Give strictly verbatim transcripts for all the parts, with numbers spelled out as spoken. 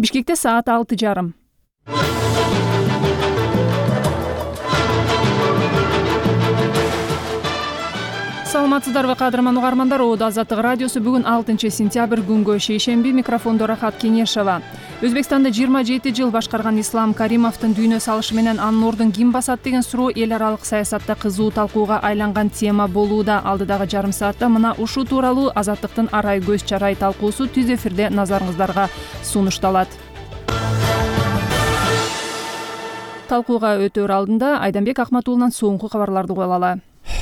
Бишкекте саат алты жарым. Саламатсыздарбы кадырман угармандар, Оодо Азаттык радиосу бүгүн алтынчы сентябрь күнгө шейшемби, микрофондо Рахат Кенешова. Өзбекстанда жыйырма жети жыл башкарган Ислам Каримовдун дүйнө салышы менен анын ордун ким басат деген суроо эл аралык саясатта кызуу талкууга айланган тема болууда. Алдыдагы жарым саатта мына ушул тууралуу Азаттыктын арай көз чарай талкуусу түз эфирде назарыңыздарга сунушталат. Талкууга өтөр алдында Айданбек Акматуулунан соңку кабарларды угуп алалы.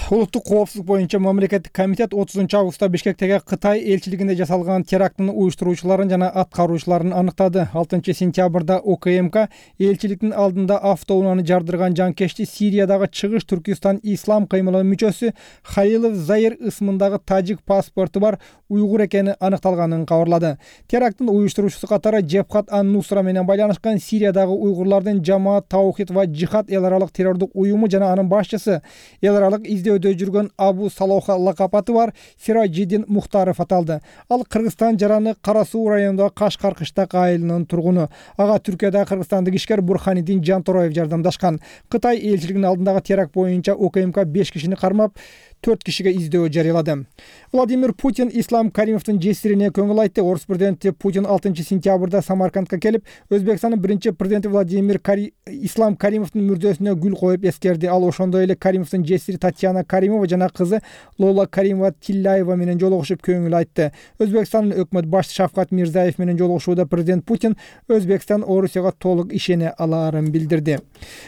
Улуттук коопсуздук боюнча мамлекеттик комитет отузунчу августта Бишкектеги Кытай элчилигинде жасалган терактын уюштуруучуларын жана аткаруучуларын аныктады. алтынчы сентябрда ОКМК элчиликтин алдында автоунааны жардырган жанкечти Сириядагы Чыгыш Түркистан ислам кыймылынын мүчөсү Халилов Заир ысмындагы тажик паспорту бар уйгур экени аныкталганын кабарлады. Терактын уюштуруучусу катары Жебхат ан-Нусра менен байланышкан Сириядагы уйгурлардын Жамаат Таухид ва Жихад эл аралык террордук уюму жана анын башчысы эл аралык издөөдө жүргөн Абу Салоха лакап аты бар Сираджидин Мухтаров аталды. Ал Кыргызстан жараны Кара Суу районундагы Кашкар кыштак айылынын тургуну. Ага Түркиядагы кыргызстандык ишкер Бурханидин Жантороев жардамдашкан. Кытай элчилигинин алдындагы теракт боюнча ОКМК беш кишини кармап, төрт кишиге издөө жарыялады. Владимир Путин Ислам Каримовдун жесирине көңүл айтты. Орус президенти Путин алтынчы сентябрда Самаркандка келип, Өзбекстандын биринчи президенти Владимир Кари... Ислам Каримовдун мүрдөсүнө гүл коюп эскерди. Ал ошондой эле Каримовдун жесири Татьяна Каримова жана кызы Лола Каримова Тилляева менен жолугушуп көңүл айтты. Өзбекстандын өкмөт башчысы Шавкат Мирзиёев менен жолугушууда президент Путин Өзбекстан Орусияга толук ишене алаарын билдирди.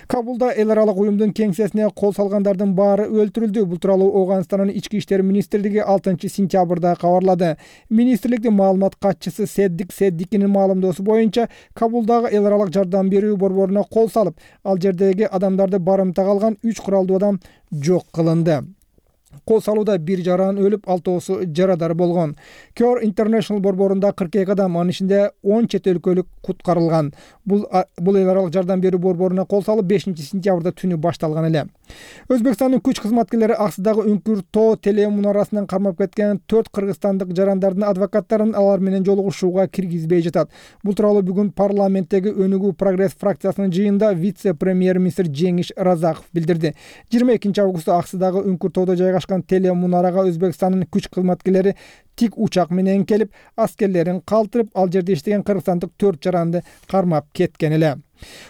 Кабулда эл аралык уюмдун кеңсесине кол салгандардын баары өлтүрүлдү. Бул тууралуу Оганстандын ички иштер министрлиги алтынчы сентябрда кабарлады. Министрликтин маалымат катчысы Седдик Седдикинин маалымдоосу боюнча, Кабулдагы эл аралык жардам берүү борборуна кол салып, ал жердеги адамдарды барымтага алган үч куралдуу адам жок кылынды. Кол салууда бир жаран өлүп, алтоосу жарадар болгон. Cure International борборунда кырк эки адам, анын ичинде он чет өлкөлүк куткарылган. Бул бул эл аралык жардам берүү борборуна кол салып бешинчи сентябрда түнү башталган эле. Өзбекстандын күч кызматкерлери Аксыдагы Үңкүр тоо телемунарасынан кармап кеткен төрт кыргызстандык жарандардын адвокаттарын алар менен жолугушууга киргизбей жатат. Бул тууралуу бүгүн парламенттеги Өнүгүү прогресс фракциясынын жыйынында вице-премьер-министр Жеңиш Разаков билдирди. жыйырма экинчи августта Аксыдагы Үңкүр тоодо жайгашкан телемунарага Өзбекстандын күч кызматкерлери тик учак менен келип, аскерлерин калтырып, ал жерде иштеген кыргызстандык төрт жаранды кармап кеткен эле.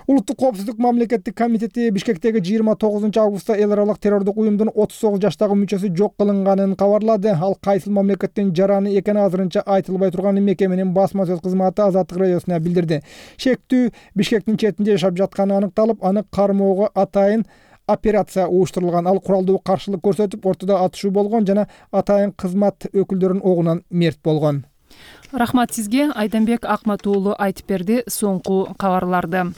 Улуттук коопсуздук мамлекеттик комитети Бишкектеги жыйырма тогузунчу августта эл аралык террордук уюмдун отуз тогуз жаштагы мүчөсү жок кылынганын кабарлады. Ал кайсыл мамлекеттин жараны экени азырынча айтылбай турган мекеменин басма сөз кызматы Азаттык радиосуна билдирди. Шектүү Бишкектин четинде жашап жатканы аныкталып, аны кармоого атайын операция уюштурулган. Ал куралдуу каршылык көрсөтүп, ортодо атышуу болгон жана атайын кызмат өкүлдөрүнүн огунан мерт болгон. Рахмат сизге. Айданбек Акматуулу айтып берди соңку кабарларды.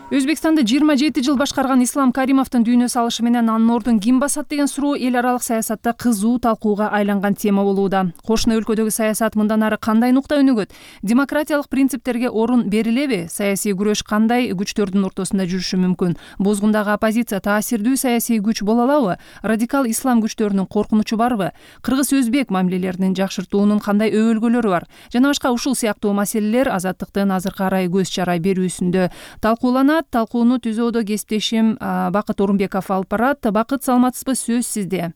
Өзбекстанда жыйырма жети жыл башкарган Ислам Каримовдун дүйнө салышы менен анын ордун ким басат деген суроо эл аралык саясатта кызуу талкууга айланган тема болууда. Кошуна өлкөдөгү саясат мындан ары кандай нукта өнүгөт? Демократиялык принциптерге орун берилеби? Саясий күрөш кандай күчтөрдүн ортосунда жүрүшү мүмкүн? Бозгундагы оппозиция таасирдүү саясий күч боло алабы? Радикал ислам күчтөрүнүн коркунучу барбы? Кыргыз-өзбек мамилелеринин жакшыртуунун кандай өбөлгөлөрү бар? Жана башка ушул сыяктуу маселелер Азаттыктын азыркы арай көз чарай берүүсүндө талкууланат. Талкууну түзүүдө кесиптешим Бакыт Орунбеков алып барат. Бакыт, саламатсызбы? Сөз сизде.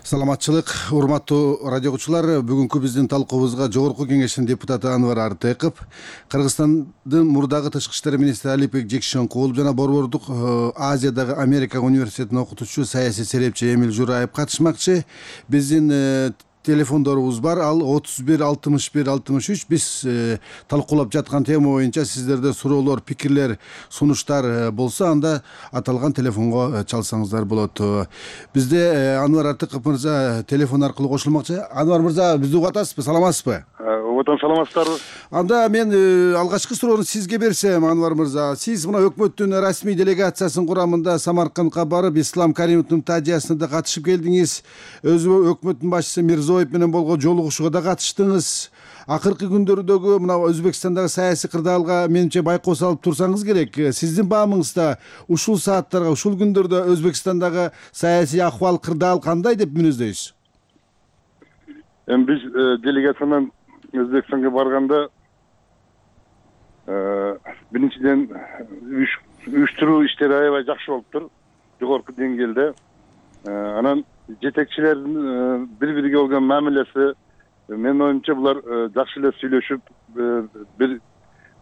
Саламатчылык, урматтуу радиогучулар. Бүгүнкү биздин талкуубузга Жогорку Кеңештин депутаты Анвар Артыков, Кыргызстандын мурдагы тышкы иштер министри Алипбек Жекшенкулов жана Борбордук Азиядагы Америка университетинин окутуучусу саясий серепчи Эмил Жураев катышмакчы. Биздин телефондорубуз бар, ал отуз бир алтымыш бир алтымыш үч. Биз э, талкуулап жаткан тема боюнча сиздерде суроолор, пикирлер, сунуштар болсо, анда аталган телефонго чалсаңыздар болот. Бизде э, Анвар Артыков мырза телефон аркылуу кошулмакчы. Анвар мырза, бизди угуп атасызбы? Саламатсызбы? отон саламатсыздарбы? Анда мен алгачкы суроону сизге берсем, Анвар мырза, сиз мына өкмөттүн расмий делегациясынын курамында Самаркандка барып, Ислам Каримовдун тажыясына да катышып келдиңиз. Өзү өкмөттүн башчысы Мирзиёев менен болгон жолугушууга да катыштыңыз. Акыркы күндөрдөгү мына Өзбекстандагы саясий кырдаалга менимче байкоо салып турсаңыз керек. Сиздин баамыңызда ушул сааттарга, ушул күндөрдө Өзбекстандагы саясий акыбал, кырдаал кандай деп мүнөздөйсүз? Эми биз делегация менен Өзбекстанга барганда биринчиден уюштуруу иштери аябай жакшы болуптур, жогорку деңгээлде. Анан жетекчилердин бири бириге болгон мамилеси, менин оюмча булар жакшы эле сүйлөшүп, бир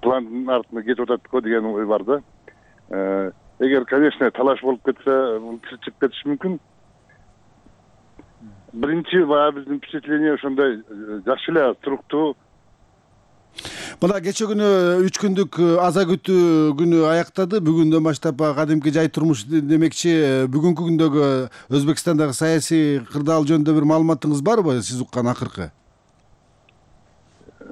пландын артына кетип атат го деген ой бар да. Эгер, конечно, талаш болуп кетсе, бул чыгып кетиши мүмкүн. Биринчи баягы биздин впечатление ошондой жакшы эле туруктуу. Мына кече күнү үч күндүк аза күтүү күнү аяктады. Бүгүндөн баштап кадимки жай турмуш демекчи, бүгүнкү күндөгү Өзбекстандагы саясий кырдаал жөнүндө бир маалыматыңыз барбы, сиз уккан акыркы?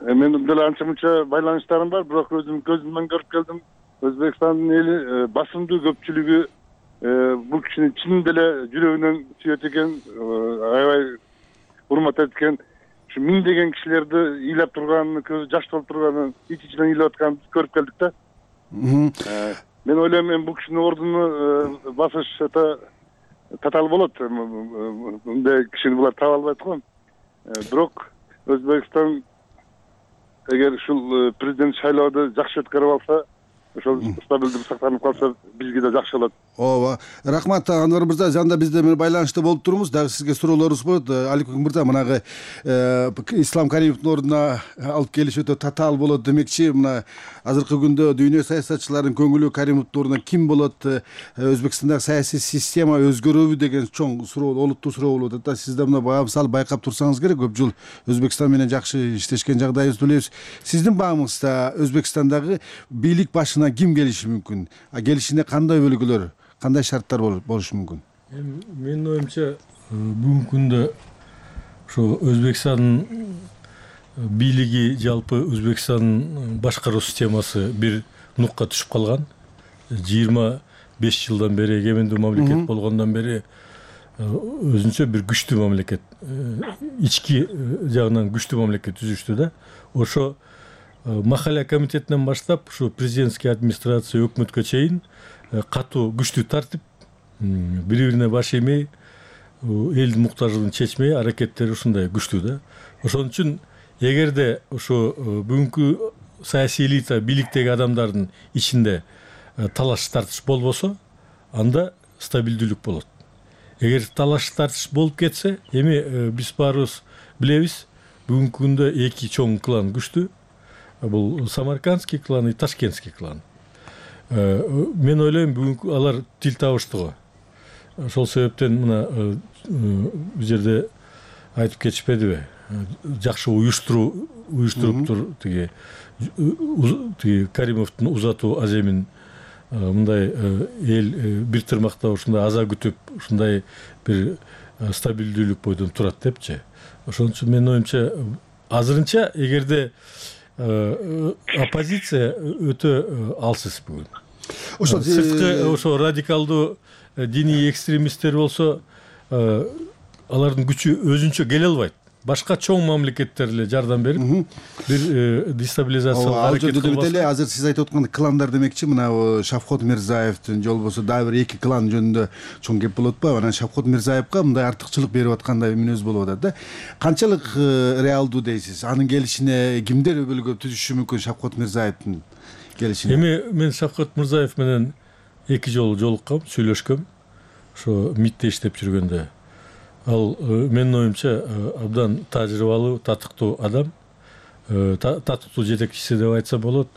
Менин деле анча мынча байланыштарым бар, бирок өзүм көзүм менен көрүп келдим. Өзбекстандын эли басымдуу көпчүлүгү бул кишини чын деле жүрөгүнөн сүйөт экен, аябай урмат эткен. Ушу миңдеген кишилерди ыйлап турганын, көзү жаш толуп турганын, ич-ичинен ыйлап атканын көрүп келдик да. Мен ойлойм, эми бул кишинин ордуну басыш татаал болот. Мындай кишини булар таба албайт го. Бирок Өзбекстан эгер ушул президент шайлоодо жакшы өткөрүп алса, ошол стабилдик сактанып калса, бизге да жакшы болот. Ооба, рахмат Анвар мырза. Жанда бизде менен байланышта болуп турмуз. Дагы сизге суроолорубуз болот. Аликбек мырза, мынагы Ислам Каримовдун ордуна алып келиш өтө татаал болот демекчи. Мына азыркы күндө дүйнө саясатчыларынын көңүлү Каримовдун ордуна ким болот, Өзбекстандагы саясий система өзгөрөбү деген чоң суроо, олуттуу суроо болуп атат да. Сиз да мына баа мисалы байкап турсаңыз керек. Көп жыл Өзбекстан менен жакшы иштешкен жагдайыбызды билебиз. Сиздин баамыңызда Өзбекстандагы бийлик башына ким келиши мүмкүн? А келишинде кандай өлкөлөр, кандай шарттар болушу мүмкүн? Менин оюмча, бүгүнкү күндө ошо Өзбекстандын бийлиги, жалпы Өзбекстандын башкаруу системасы бир нукка түшүп калган. жыйырма беш жылдан бери, эгемендүү мамлекет болгондон бери өзүнчө бир күчтүү мамлекет, ички жагынан күчтүү мамлекет түзүштү да. Ошо махалля комитетинен баштап, ушу президентский администрация, өкмөткө чейин катуу күчтүү тартип, бири-бирине баш иймей, элдин муктаждыгын чечмей, аракеттери ушундай күчтүү да. Ошон үчүн эгерде ошо бүгүнкү саясий элита, бийликтеги адамдардын ичинде талаш тартыш болбосо, анда стабилдүүлүк болот. Эгер талаш тартыш болуп кетсе, эми биз баарыбыз билебиз, бүгүнкү күндө эки чоң клан күчтүү. Бул Самаркандский клан и Ташкентский клан. Мен ойлойм, бүгүнкү алар тил табыштыгы. Ошол себептен мына бул жерде айтып кетишпедиби? Жакшы уюштуруу уюштуруптур тиги тиги Каримовдун узатуу аземин, мындай эл бир тырмакта ушундай аза күтүп, ушундай бир стабилдүүлүк бойдон турат депчи. Ошон үчүн менин оюмча, азырынча эгерде оппозиция өтө алсыз бүгүн. Ошо сырткы ошо радикалдуу диний экстремисттер болсо, алардын күчү өзүнчө келе албайт. Башка чоң мамлекеттер эле жардам берип, бир дестабилизациялык аракет кылбаса. Эле азыр сиз айтып аткан кландар демекчи, мына Шавкот Мирзиевдин, же болбосо дагы бир эки клан жөнүндө чоң кеп болотпу? Анан Шавкот Мирзиевге мындай артыкчылык берип аткандай мүнөз болуп атат да. Канчалык реалдуу дейсиз? Анын келишине кимдер өбөлгө түзүшү мүмкүн Шавкот Мирзиевдин келишине? Эми мен Шавкот Мирзиев менен эки жолу жолуккам, сүйлөшкөм. Ошо МИДте иштеп жүргөндө. Ал менин оюмча абдан тажрыйбалуу, татыктуу адам, татыктуу жетекчиси деп айтса болот.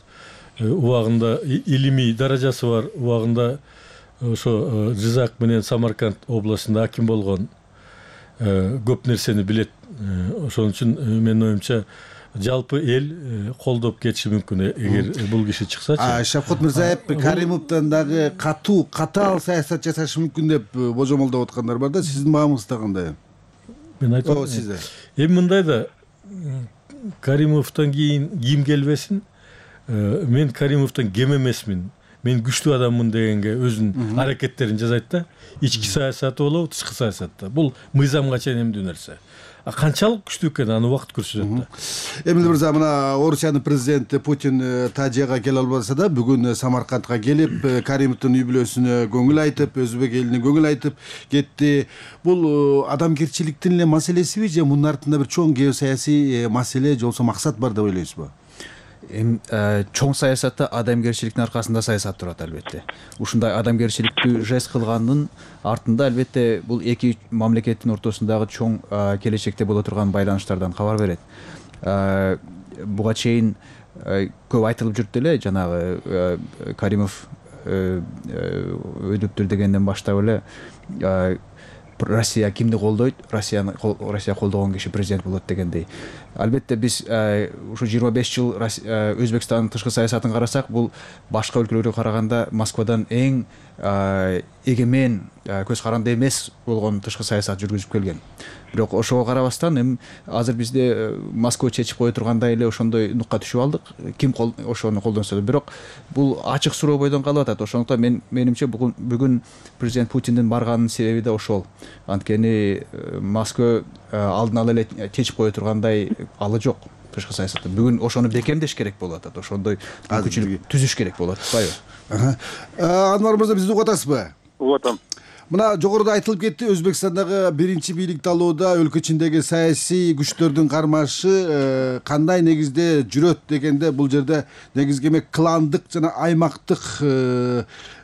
Убагында илимий даражасы бар, убагында ошо Жизак менен Самарканд областында аким болгон, көп нерсени билет. Ошон үчүн менин оюмча жалпы эл колдоп кетиши мүмкүн эгер бул киши чыксачы. А Шавкот Мирзиев Каримовдон дагы катуу, катаал саясат жасашы мүмкүн деп божомолдоп аткандар бар да. Сиздин баамыңызда кандай? Мен айтам, сизде. Эми мындай да, Каримовдон кийин ким келбесин, мен Каримовдон кем эмесмин, мен күчтүү адаммын дегенге өзүнүн аракеттерин жасайт да. Ички саясаты болобу, тышкы саясатта. Бул мыйзамга чейин эмдүү нерсе. Канчалык күчтүү экени аны убакыт көрсөтөт да. Эмиль мырза, мына Орусиянын президенти Путин Тажияга келе албаса да, бүгүн Самаркандга келип, Каримовдун үй бүлөсүнө көңүл айтып, өзбек элине көңүл айтып кетти. Бул адамгерчиликтин эле маселесиби же мунун артында бир чоң геосаясий маселе же болбосо максат бар деп ойлойсузбу? Эми чоң саясатта адамгерчиликтин аркасында саясат турат албетте. Ушундай адамгерчиликтүү жест кылгандын артында албетте бул эки мамлекеттин ортосундагы чоң келечекте боло турган байланыштардан кабар берет. Буга чейин көп айтылып жүрдү эле, жанагы Каримов өйдөптүр дегенден баштап эле Россия кимди колдойт, Россияны Россия колдогон киши президент болот дегендей. Албетте биз ушу жыйырма беш жыл Өзбекстандын тышкы саясатын карасак, бул башка өлкөлөргө караганда Москвадан эң эгемен, көз каранды эмес болгон тышкы саясат жүргүзүп келген. Бирок ошого карабастан эми азыр бизде Москва чечип кое тургандай эле ошондой нукка түшүп алдык. Ким ошону колдонсо да, бирок бул ачык суроо бойдон калып атат. Ошондуктан мен менимче бүгүн президент Путиндин барганынын себеби да ошол. Анткени Москва алдын ала эле чечип кое тургандай алы жок тышкы саясатта. Бүгүн ошону бекемдеш керек болуп атат. Ошондой мүмкүнчүлүк түзүш керек болуп атпайбы? Анвар мырза, бизди угуп атасызбы? Угуп атам. Мына жогоруда айтылып кетти, Өзбекстандагы биринчи бийлик талоодо өлкө ичиндеги саясий күчтөрдүн кармашы кандай негизде жүрөт дегенде, бул жерде негизги эме кландык жана аймактык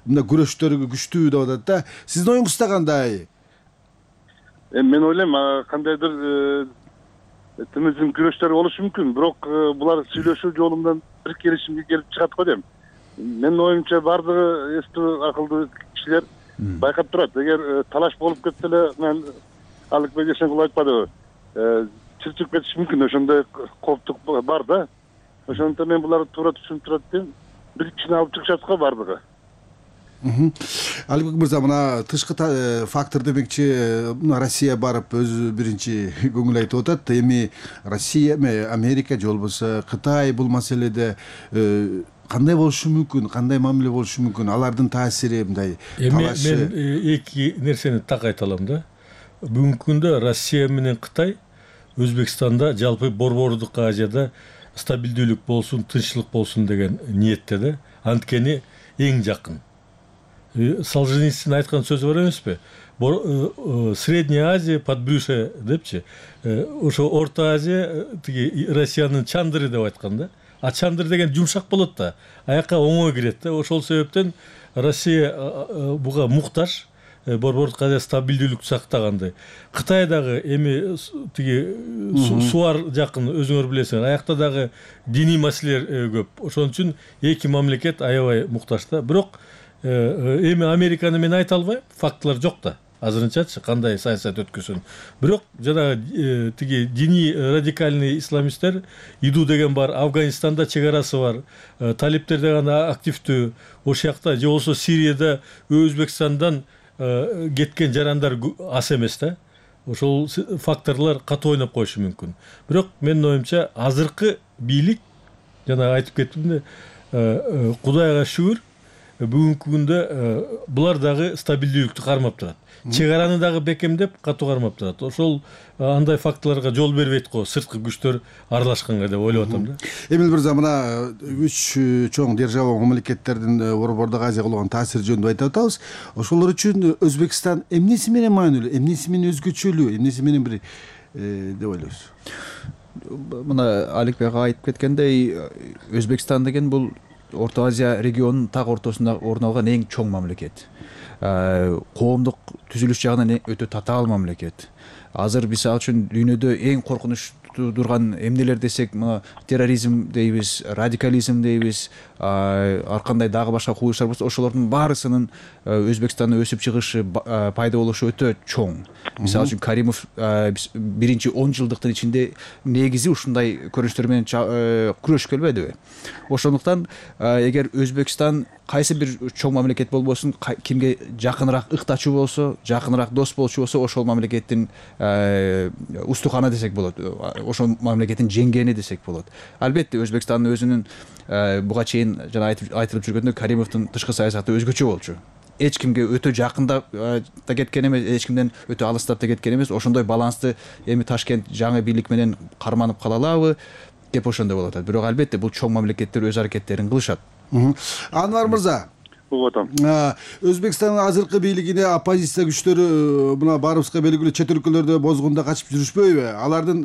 мына күрөштөр күчтүү деп атат да. Сиздин оюңузда кандай? Эми мен ойлойм, кандайдыр тимиздин күрөштөр болушу мүмкүн, бирок булар сүйлөшүү жолу менен бир келишимге келип чыгат го дейм. Менин оюмча бардыгы эстүү акылдуу кишилер байкап турат. Эгер талаш болуп кетсе эле, мен Алыкбек Эшенкулов айтпадыбы, чырчып кетиши мүмкүн, ошондой коптук бар да. Ошондуктан мен буларды туура түшүнүп турат дейм. Бир кишини алып чыгышат го бардыгы. Алыкбек мырза, мына тышкы фактор демекчи, Россия барып өзү биринчи көңүл айтып атат. Эми Россия, Америка же болбосо Кытай бул маселеде кандай болушу мүмкүн, кандай мамиле болушу мүмкүн, алардын таасири мындай талашы? Мен эки нерсени так айта алам да. Бүгүнкү күндө Россия менен Кытай Өзбекстанда, жалпы Борбордук Азияда стабилдүүлүк болсун, тынччылык болсун деген ниетте да. Анткени эң жакын. Солженицин айткан сөзү бар эмеспи? Средняя Азия подбрюшье депчи. Ошо Орто Азия тиги Россиянын чандыры деп айткан да. А чандыр деген жумшак болот да, аякка оңой кирет да. Ошол себептен Россия буга муктаж, Борбордук Азия стабилдүүлүктү сактагандай. Кытай дагы эми тиги сууар жакын, өзүңөр билесиңер, аякта дагы диний маселелер көп. Ошон үчүн эки мамлекет аябай муктаж да. Бирок эми Американы мен айта албайм, фактылар жок да. Азырынчачы кандай саясат өткөзсүн. Бирок жана тиги диний радикальный исламисттер иду деген бар, Афганистанда чек арасы бар, талиптер деген активдүү, ошол жакта же болбосо Сирияда Өзбекстандан кеткен жарандар аз эмес да. Ошол факторлор катуу ойноп коюшу мүмкүн. Бирок менин оюмча азыркы бийлик, жана айтып кеттим, Кудайга шүгүр, бүгүнкү күндө булар дагы стабилдүүлүктү кармап турат. Чек араны дагы бекемдеп, катуу кармап турат. Ошол андай факторлорго жол бербейт го, сырткы күчтөр аралашканга деп ойлоп атам да. Эмиль мырза, мына үч чоң держава мамлекеттердин Борбордук Азияга болгон таасири жөнүндө айтып атабыз. Ошолор үчүн Өзбекстан эмнеси менен маанилүү, эмнеси менен өзгөчөлүү, эмнеси менен бир деп ойлойсуз? Мына Аликбек айтып кеткендей, Өзбекстан деген бул Орто Азия регионунун так ортосунда орун алган эң чоң мамлекет. Коомдук түзүлүш жагынан өтө татаал мамлекет. Азыр мисалы үчүн дүйнөдө эң коркунучтуу турган эмнелер десек, мына терроризм дейбиз, радикализм дейбиз, ар кандай дагы башка кубулуштар болсо, ошолордун баарысынын Өзбекстанда өсүп чыгышы, пайда болушу өтө чоң. Мисалы үчүн Каримов биринчи он жылдыктын ичинде негизи ушундай көрүнүштөр менен күрөшүп келбедиби? Ошондуктан эгер Өзбекстан кайсы бир чоң мамлекет болбосун, кимге жакыныраак ыктачуу болсо, жакыныраак дос болчу болсо, ошол мамлекеттин устухана десек болот. ошол мамлекеттин жеңгени десек болот. Албетте Өзбекстандын өзүнүн буга чейин жана айтылып жүргөндөй Каримовдун тышкы саясаты өзгөчө болчу. Эч кимге өтө жакындап да кеткен эмес, эч кимден өтө алыстап да кеткен эмес. Ошондой балансты эми Ташкент жаңы бийлик менен карманып кала алабы деп ошондой болуп атат. Бирок албетте бул чоң мамлекеттер өз аракеттерин кылышат. Анвар мырза, атам. Өзбекстандын азыркы бийлигине оппозиция күчтөрү мына баарыбызга белгилүү чет өлкөлөрдө бозгунда качып жүрүшпөйбү? Алардын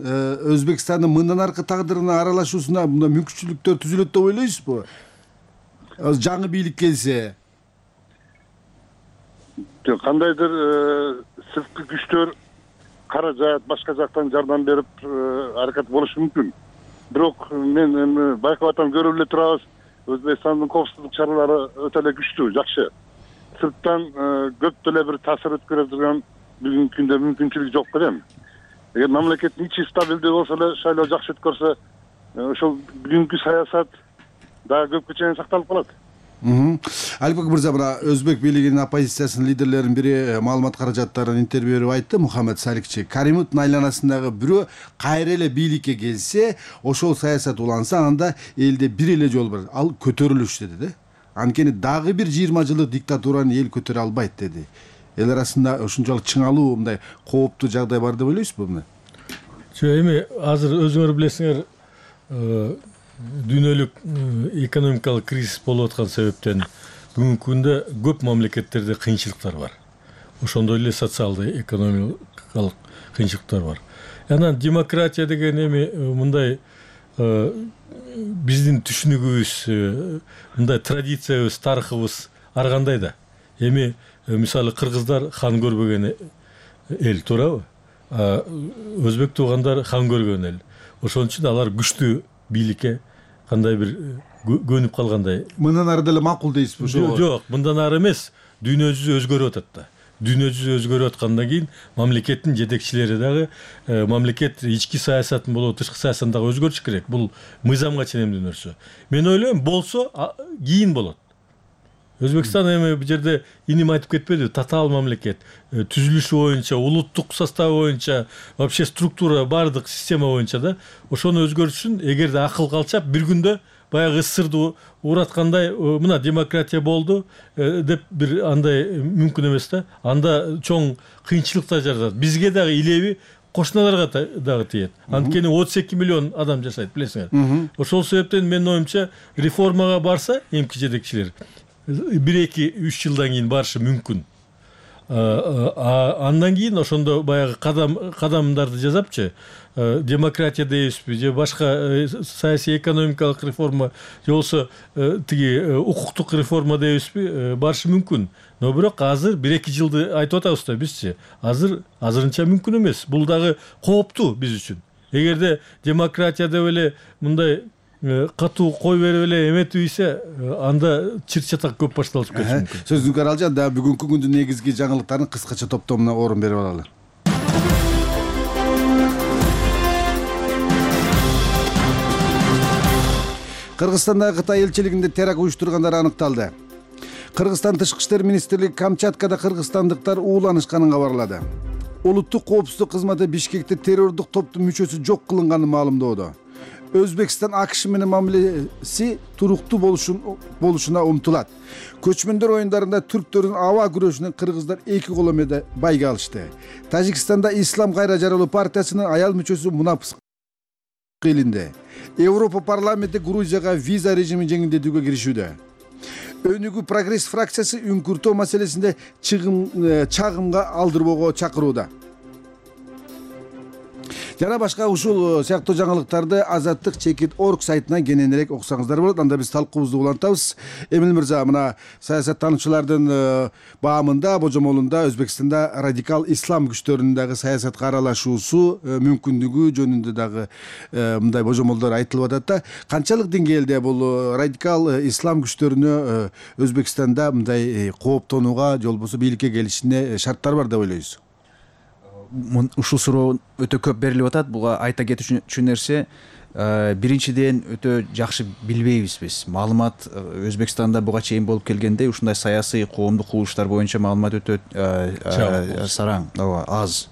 Өзбекстандын мындан аркы тагдырына аралашуусуна мындай мүмкүнчүлүктөр түзүлөт деп ойлойсузбу? Жаңы бийлик келсе кандайдыр сырткы күчтөр каражат башка жактан жардам берип аракет болушу мүмкүн. Бирок мен эми байкап атам, көрүп эле турабыз, Өзбекстандын коопсуздук чаралары өтө эле күчтүү, жакшы. Сырттан көп деле бир таасир өткөрө турган бүгүнкү күндө мүмкүнчүлүк жок белем. Эгер мамлекеттин ичи стабилдүү болсо эле, шайлоо жакшы өткөрсө, ошол бүгүнкү саясат дагы көпкө чейин сакталып калат. Алибек мырза, мына Өзбек бийлигинин оппозициясынын лидерлеринин бири маалымат каражаттарын интервью берип айтты, Мухаммед Саликчи. Каримовдун айланасындагы бирөө кайра эле бийликке келсе, ошол саясат уланса, анда элде бир эле жол бар, ал көтөрүлүш деди да. Анткени дагы бир жыйырма жылдык диктатураны эл көтөрө албайт деди. Эл арасында ушунчалык чыңалуу мындай кооптуу жагдай бар деп ойлойсузбу мына? Жок, эми азыр өзүңөр билесиңер, дүйнөлүк экономикалык кризис болуп аткан себептен бүгүнкү күндө көп мамлекеттерде кыйынчылыктар бар. Ошондой эле социалдык, экономикалык кыйынчылыктар бар. Анан демократия деген эми мындай биздин түшүнүгүбүз, мындай традициябыз, тарыхыбыз ар кандай да. Эми мисалы кыргыздар хан көрбөгөн эл, туурабы? Өзбек туугандар хан көргөн эл. Ошон үчүн алар күчтүү бийликке кандай бир көнүп калгандай. Мындан ары деле макул дейсизби? Жок, жок, мындан ары эмес. Дүйнө жүзү өзгөрүп атат да. Дүйнө жүзү өзгөрүп аткандан кийин мамлекеттин жетекчилери дагы мамлекет ички саясатын болобу, тышкы саясатын дагы өзгөртүш керек. Бул мыйзамга ченемдүү нерсе. Мен ойлойм, болсо кийин болот. Өзбекстан эми бул жерде иним айтып кетпеди, татаал мамлекет, түзүлүшү боюнча, улуттук составы боюнча, вообще структура, бардык система боюнча да ошону өзгөртүшүн эгерде акыл калчап бир күндө баягы ысырды ураткандай, мына демократия болду деп бир андай мүмкүн эмес да. Анда чоң кыйынчылыктар жаралат. Бизге дагы илеби, кошуналарга дагы тиет. Анткени отуз эки миллион адам жашайт, билесиңер. Ошол себептен менин оюмча реформага барса эмки жетекчилер бир эки үч жылдан кийин барышы мүмкүн. Андан кийин ошондо баягы кадам кадамдарды жасапчы, демократия дейбизби же башка саясий экономикалык реформа же болбосо тиги укуктук реформа дейбизби, барышы мүмкүн. Но бирок азыр бир эки жылды айтып атабыз да бизчи. Азыр азырынча мүмкүн эмес. Бул дагы кооптуу биз үчүн. Эгерде демократия деп эле мындай катуу кой берип эле эметип ийсе, анда чыр-чатак көп башталып кетиши мүмкүн. Сөзүңүз аралжан, да бүгүнкү күндүн негизги жаңылыктарын кыскача топтомуна орун берип алалы. Кыргызстандагы Кытай элчилигинде теракт уюштургандар аныкталды. Кыргызстан тышкы иштер министрлиги Камчаткада кыргызстандыктар ууланышканын кабарлады. Улуттук коопсуздук кызматы Бишкекте террордук топтун мүчөсү жок кылынганын маалымдоодо. Өзбекстан АКШ менен мамилеси туруктуу болушуна умтулат. Көчмөндөр оюндарында түрктөрдүн аба күрөшүнөн кыргыздар эки коло байга алышты. Тажикстанда Ислам кайра жаралуу партиясынын аял мүчөсү Мунапс кыйлынды. Европа парламенти Грузияга виза режимин жеңилдетүүгө киришүүдө. Өнүгүү прогресс фракциясы үңкүртөө маселесинде чагымга алдырбоого чакырууда. Жана башка ушул сыяктуу жаңылыктарды Азаттык чекит орг сайтынан кененирээк окусаңыздар болот. Анда биз талкуубузду улантабыз. Эмил мырза, мына саясаттануучулардын баамында, божомолунда Өзбекстанда радикал ислам күчтөрүнүн дагы саясатка аралашуусу мүмкүндүгү жөнүндө дагы мындай божомолдор айтылып атат да. Канчалык деңгээлде бул радикал ислам күчтөрүнө Өзбекстанда мындай кооптонууга же болбосо бийликке келишине шарттар бар деп ойлойсуз? ушул суроо өтө көп берилип атат. Буга айта кетүүчү нерсе, биринчиден өтө жакшы билбейбиз биз. Маалымат Өзбекстанда буга чейин болуп келгенде ушундай саясий коомдук курулуштар боюнча маалымат өтө сараң, ооба, аз.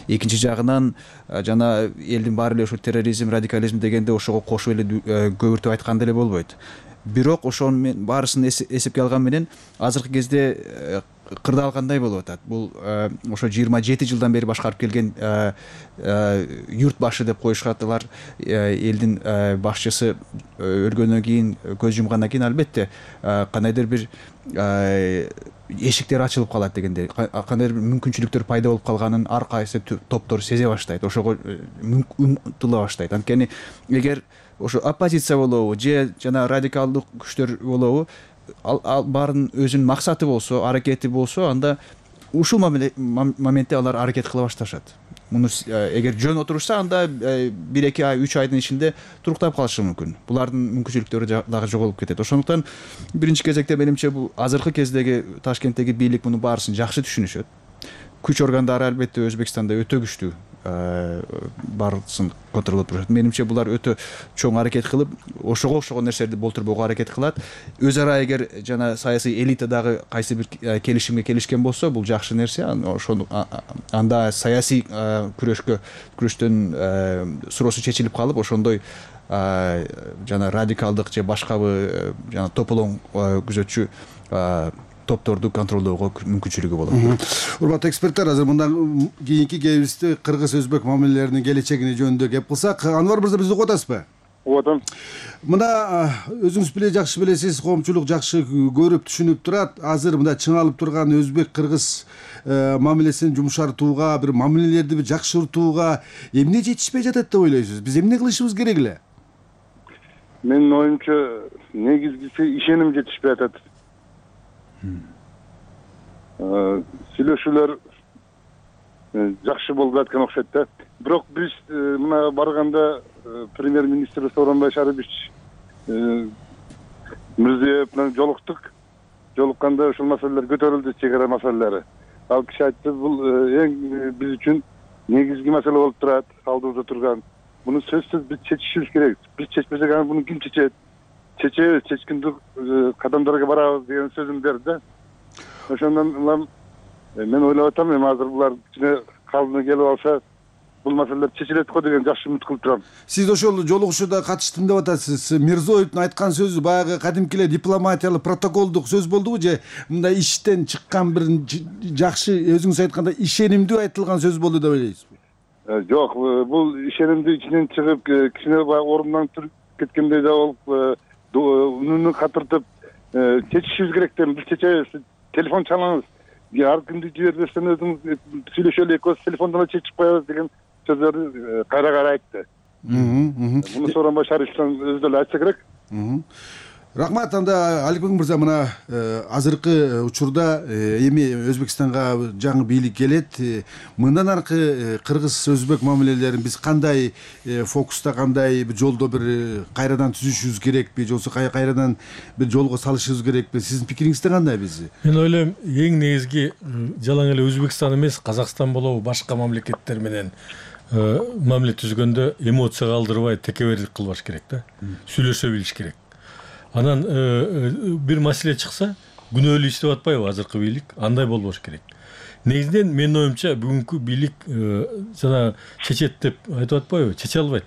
Экинчи жагынан жана элдин баары эле ушу терроризм, радикализм дегенде ошого кошуп эле көбүртүп айткан деле болбойт. Бирок ошонун баарысын эсепке алган менен азыркы кезде кырдаалгандай болуп атат. Бул ошо жыйырма жети жылдан бери башкарып келген юрт башы деп коюшат. Элдин башчысы өлгөндөн кийин, көз жумгандан кийин албетте кандайдыр бир эшиктер ачылып калат дегендей, кандайдыр бир мүмкүнчүлүктөр пайда болуп калганын ар кайсы топтор сезе баштайт, ошого умтула баштайт. Анткени эгер ошо оппозиция болобу же жана радикалдык күчтөр болобу, ал баарынын өзүнүн максаты болсо, аракети болсо, анда ушул моментте алар аракет кыла башташат. Муну эгер жөн отурушса, анда бир эки ай, үч айдын ичинде туруктап калышы мүмкүн. Булардын мүмкүнчүлүктөрү дагы жоголуп кетет. Ошондуктан биринчи кезекте менимче бул азыркы кездеги Ташкенттеги бийлик муну баарысын жакшы түшүнүшөт. Күч органдары албетте Өзбекстанда өтө күчтүү, баарысын контролдоп турушат. Менимче булар өтө чоң аракет кылып, ошого окшогон нерселерди болтурбоого аракет кылат. Өз ара эгер жана саясий элита дагы кайсы бир келишимге келишкен болсо, бул жакшы нерсе. Ошону анда саясий күрөшкө күрөштөн суроосу чечилип калып, ошондой жана радикалдык же башкабы жана тополоң күзөтчү топторду контролдоого мүмкүнчүлүгү болот. Урматтуу эксперттер, азыр мындан кийинки кебизде кыргыз-өзбек мамилелеринин келечегине жөнүндө кеп кылсак, Анвар мырза бизди угуп атасызбы? Угуп атам. Мына өзүңүз биле жакшы билесиз, коомчулук жакшы көрүп түшүнүп турат. Азыр мында чыңалып турган өзбек-кыргыз мамилесин жумшартууга, бир мамилелерди бир жакшыртууга эмне жетишпей жатат деп ойлойсуз? Биз эмне кылышыбыз керек эле? Менин оюмча, негизгиси ишеним жетишпей атат. Сүйлөшүүлөр жакшы болуп аткан окшойт да. Бирок биз мына барганда премьер-министр Сооронбай Шарипович Мирзиёев менен жолуктук. Жолукканда ушул маселелер көтөрүлдү, чек ара маселелери. Ал киши айтты, бул эң биз үчүн негизги маселе болуп турат, алдыбызда турган. Муну сөзсүз биз чечишибиз керек. Биз чечпесек, аны муну ким чечет? Чечебиз, чечкиндик кадамдарга барабыз деген сөзүн берди. Ошондон улам мен ойлоп атам, эми азыр булар кичине калдыны келип алса, бул маселелер чечилет го деген жакшы үмүт кылып турам. Сиз ошол жолугушууда катыштым деп атасыз. Мирзиёевдун айткан сөзү баягы кадимки эле дипломатиялык, протоколдук сөз болдубу же мындай иштен чыккан бир жакшы, өзүңүз айткандай ишенимдүү айтылган сөз болду деп ойлойсузбу? Жок, бул ишенимдүү ичинен чыгып, кичине орундан туруп кеткендей да болуп, үнүнү катыртып чечишибиз керек деп биз чечебиз. Телефон чалыңыз. Ар кимди жибербестен өзүңүз сүйлөшөлү, экөөбүз телефондон чечип коебуз деген сөздөрдү кайра-кайра айтты. Муну Сооронбай Шариповичтен өзү деле айтса керек. Рахмат. Анда Аликбек мырза, мына азыркы учурда эми Өзбекстанга жаңы бийлик келет. Мындан аркы кыргыз-өзбек мамилелерин биз кандай фокуста, кандай бир жолдо бир кайрадан түзүшүбүз керекпи, же болбосо кайрадан бир жолго салышыбыз керекпи? Сиздин пикириңизде кандай биз? Мен ойлойм, эң негизги жалаң эле Өзбекстан эмес, Казакстан болобу, башка мамлекеттер менен мамиле түзгөндө эмоция калтырбай текебердик кылбаш керек да. Сүйлөшө билиш керек. Анан бир маселе чыкса, күнөөлүү иштеп атпайбы азыркы бийлик? Андай болбош керек. Негизинен менин оюмча бүгүнкү бийлик жана чечет деп айтып атпайбы? Чече албайт.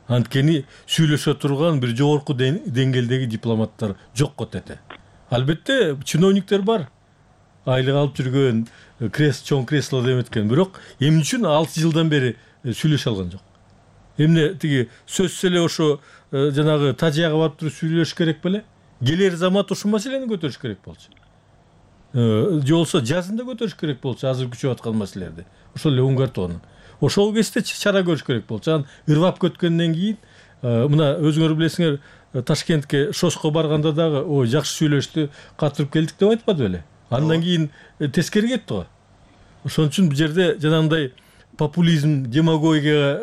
Анткени сүйлөшө турган бир жогорку деңгээлдеги дипломаттар жок кетет. Албетте чиновниктер бар. Айлык алып жүргөн, чоң кресло деметкен, бирок эмне үчүн алты жылдан бери сүйлөшө алган жок? Эмне тиги сөзсүз эле ошо жанагы тажияга барып туруп сүйлөш керек беле? Келер замат ушул маселени көтөрүш керек болчу. Же болсо жазында көтөрүш керек болчу азыр күчөп аткан маселелерди. Ошол эле уңгартууну. Ошол кезде чара көрүш керек болчу. Анан ырвап көткөндөн кийин, мына өзүңөр билесиңер, Ташкентке шоско барганда дагы ой жакшы сүйлөштү, катырып келдик деп айтпады беле? Андан кийин тескери кетти го. Ошон үчүн бул жерде жанагындай популизм, демагогия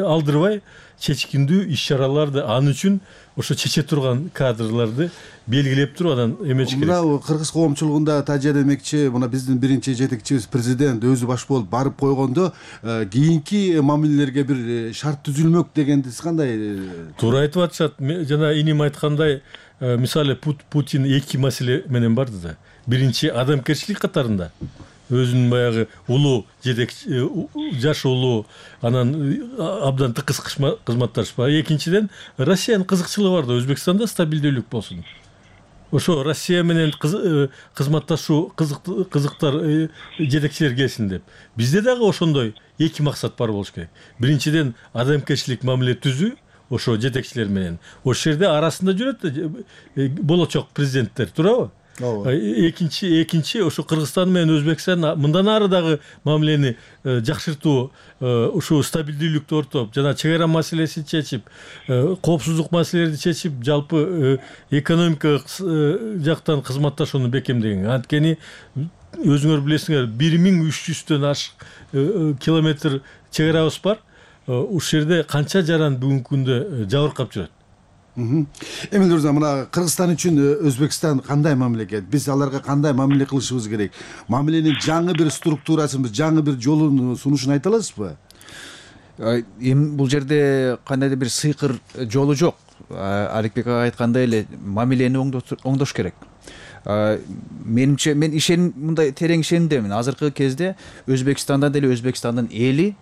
алдырбай, чечкиндүү иш чараларды ал үчүн ошо чече турган кадрларды белгилеп туруп анан эмеш керек. Мына кыргыз коомчулугунда тажа демекчи, мына биздин биринчи жетекчибиз президент өзү баш болуп барып койгондо кийинки мамилелерге бир шарт түзүлмөк дегенди кандай? Туура айтып атышат. Жана иним айткандай, мисалы Путин эки маселе менен барды да. Биринчи адамгерчилик катарында өзүнүн баягы улуу жетекчи, жаш улуу, анан абдан тыкыз кызматташпа. Экинчиден, Россиянын кызыкчылыгы бар да, Өзбекстанда стабилдүүлүк болсун. Ошо Россия менен кызматташуу кызыктар жетекчилер келсин деп. Бизде дагы ошондой эки максат бар болуш керек. Биринчиден, адамгерчилик мамиле түзүү ошо жетекчилер менен. Ошол жерде арасында жүрөт болочок президенттер, туурабы? Экинчи, экинчи ошо Кыргызстан менен Өзбекстан мындан ары дагы мамилени жакшыртуу, ушул стабилдүүлүктү ортоп, жана чек ара маселесин чечип, коопсуздук маселелерди чечип, жалпы экономика жактан кызматташууну бекемдеген. Анткени өзүңөр билесиңер, бир миң үч жүздөн ашык километр чек арабыз бар. Ушул жерде канча жаран бүгүнкү күндө жабыркап жүрөт. Эмил мырза, мына Кыргызстан үчүн Өзбекстан кандай мамлекет? Биз аларга кандай мамиле кылышыбыз керек? Мамиленин жаңы бир структурасын, жаңы бир жолун сунушун айта аласызбы? Эми бул жерде кандайдыр бир сыйкыр жолу жок. Аликбек ага айткандай эле мамилени оңдош керек. Менимче мен ишен мындай терең ишенимдемин. Азыркы кезде Өзбекстанда деле Өзбекстандын эли,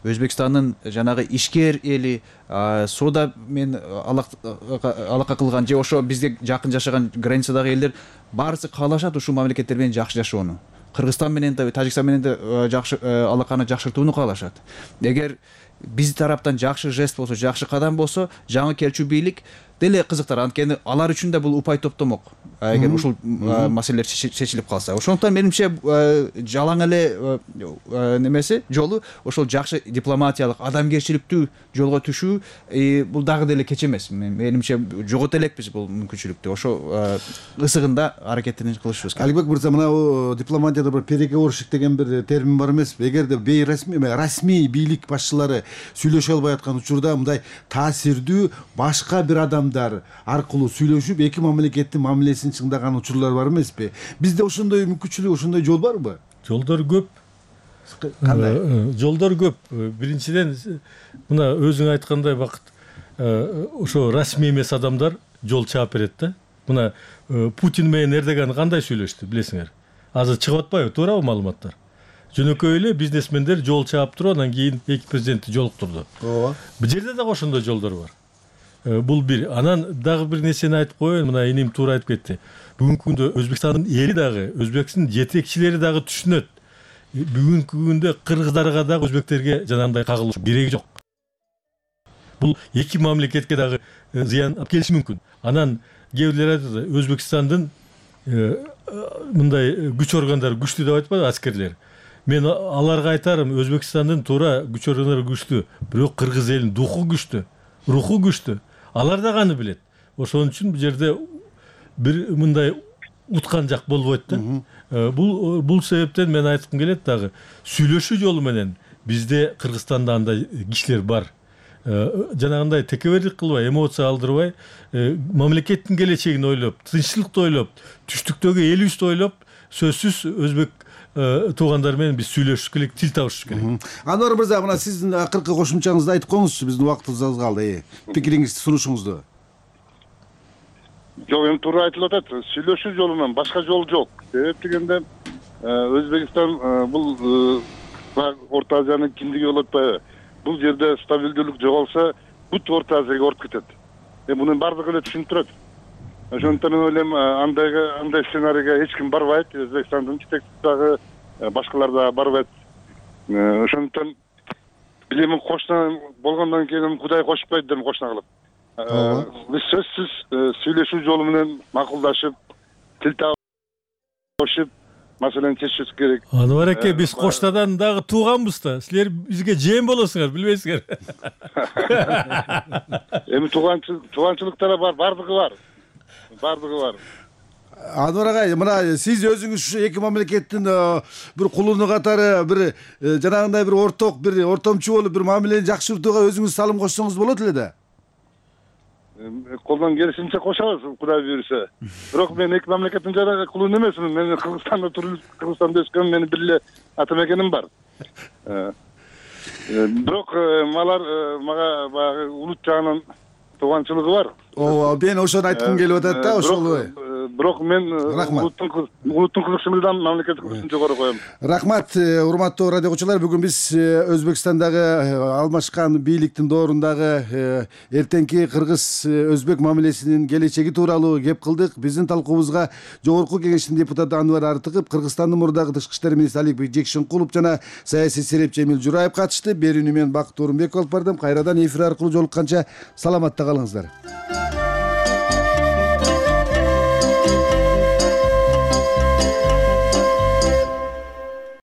Өзбекстандын жанагы ишкер эли, соода мен алака кылган же ошо бизге жакын жашаган границадагы элдер баарысы каалашат ушул мамлекеттер менен жакшы жашоону. Кыргызстан менен да, Тажикстан менен да жакшы алаканы жакшыртууну каалашат. Эгер биз тараптан жакшы жест болсо, жакшы кадам болсо, жаңы келчү бийлик деле кызыктар. Анткени алар үчүн да бул упай топтомок. Эгер ушул маселелер чечилип калса. Ошондуктан менимче жалаң эле немеси жолу ошол жакшы дипломатиялык, адамгерчиликтүү жолго түшүү бул дагы деле кеч эмес. Менимче жогото элекпиз бул мүмкүнчүлүктү. Ошо ысыгында аракетин кылышыбыз керек. Аликбек мырза, мына дипломатияда бир переговорщик деген бир термин бар эмеспи? Эгерде бейрасмий, расмий бийлик башчылары сүйлөшө албай аткан учурда мындай таасирдүү башка бир адамдар аркылуу сүйлөшүп эки мамлекеттин мамилесин чыңдаган учурлар бар эмеспи? Бизде ошондой мүмкүнчүлүк, ошондой жол барбы? Жолдор көп. Кандай? Жолдор көп. Биринчиден, мына өзүң айткандай Бакыт, ошо расмий эмес адамдар жол чаап берет да. Мына Путин менен Эрдоган кандай сүйлөштү, билесиңер? Азыр чыгып атпайбы, туурабы маалыматтар? Жөнөкөй эле бизнесмендер жол чаап туруп, анан кийин эки президентти жолуктурду. Ооба. Бул жерде дагы ошондой жолдор бар. Бул бир. Анан дагы бир нерсени айтып коеюн, мына иним туура айтып кетти. Бүгүнкү күндө Өзбекстандын эли дагы, Өзбекстин жетекчилери дагы түшүнөт. Бүгүнкү күндө кыргыздарга дагы өзбектерге жанагындай кагылыш кереги жок. Бул эки мамлекетке дагы зыян алып келиши мүмкүн. Анан кээ бирлер айтат, Өзбекстандын мындай күч органдары күчтүү деп айтпайбы, аскерлер. Мен аларга айтарым, Өзбекстандын туура күч органдары күчтүү, бирок кыргыз элинин духу күчтүү, руху күчтүү. Алар да аны билет. Ошон үчүн бул жерде бир мындай уткан жак болбойт да. Бул бул себептен мен айткым келет дагы, сүйлөшүү жолу менен бизде Кыргызстанда андай кишилер бар. Жанагындай текебердик кылбай, эмоция алдырбай, мамлекеттин келечегин ойлоп, тынччылыкты ойлоп, түштүктөгү элибизди ойлоп, сөзсүз өзбек туугандар менен биз сүйлөшүш керек, тил табышыш керек. Анвар мырза, мына сиздин акыркы кошумчаңызды айтып коюңузчу, биздин убактыбыз аз калды. Пикириңизди, сунушуңузду. Жок, эми туура айтылып атат. Сүйлөшүү жолу менен башка жол жок. Себеп дегенде Өзбекстан бул Орто Азиянын киндиги болуп атпайбы? Бул жерде стабилдүүлүк жоголса, бүт Орто Азияга ооруп кетет. Эми мунун бардыгы эле түшүнүп турат. Ошондуктан мен ойлойм, андай андай сценарийге эч ким барбайт. Өзбекстандын жетекчиси дагы, башкалар да барбайт. Ошондуктан билем кошуна болгондон кийин Кудай кошпойт деп кошуна кылып. Биз сөзсүз сүйлөшүү жолу менен макулдашып, тил табышып, маселени чечишибиз керек. Анвар аке, биз Коштадан дагы тууганбыз да. Силер бизге жем болосуңар, билбейсиңер. Эми тууганчылык, тууганчылыктар бар, бардыгы бар. Бардыгы бар. Анвар агай, мына сиз өзүңүз ушу эки мамлекеттин бир кулуну катары бир жанагындай бир орток, бир ортомчу болуп бир мамилени жакшыртууга өзүңүз салым кошсоңуз болот эле да. Колдон келишинче кошобуз, Кудай буйруса. Бирок мен эки мамлекеттин жанагы кулуну эмесмин. Мен Кыргызстанда туруп, Кыргызстанда өскөн, менин бир эле ата мекеним бар. Бирок алар мага баягы улут жагынан тууганчылыгы бар. Ооба, мен ошону айткым келип атат да, ошол. Бирок мен улуттун улуттун кызыкчылыгынан мамлекеттик кызыкчылыгын жогору коем. Рахмат, урматтуу радио окуучулар. Бүгүн биз Өзбекстандагы алмашкан бийликтин доорундагы эртеңки кыргыз-өзбек мамилесинин келечеги тууралуу кеп кылдык. Биздин талкуубузга Жогорку Кеңештин депутаты Анвар Артыков, Кыргызстандын мурдагы тышкы иштер министри Аликбек Жекшенкулов жана саясий серепчи Эмил Жураев катышты. Берүүнү мен Бакыт Орунбеков алып бардым. Кайрадан эфир аркылуу жолукканча саламатта калыңыздар.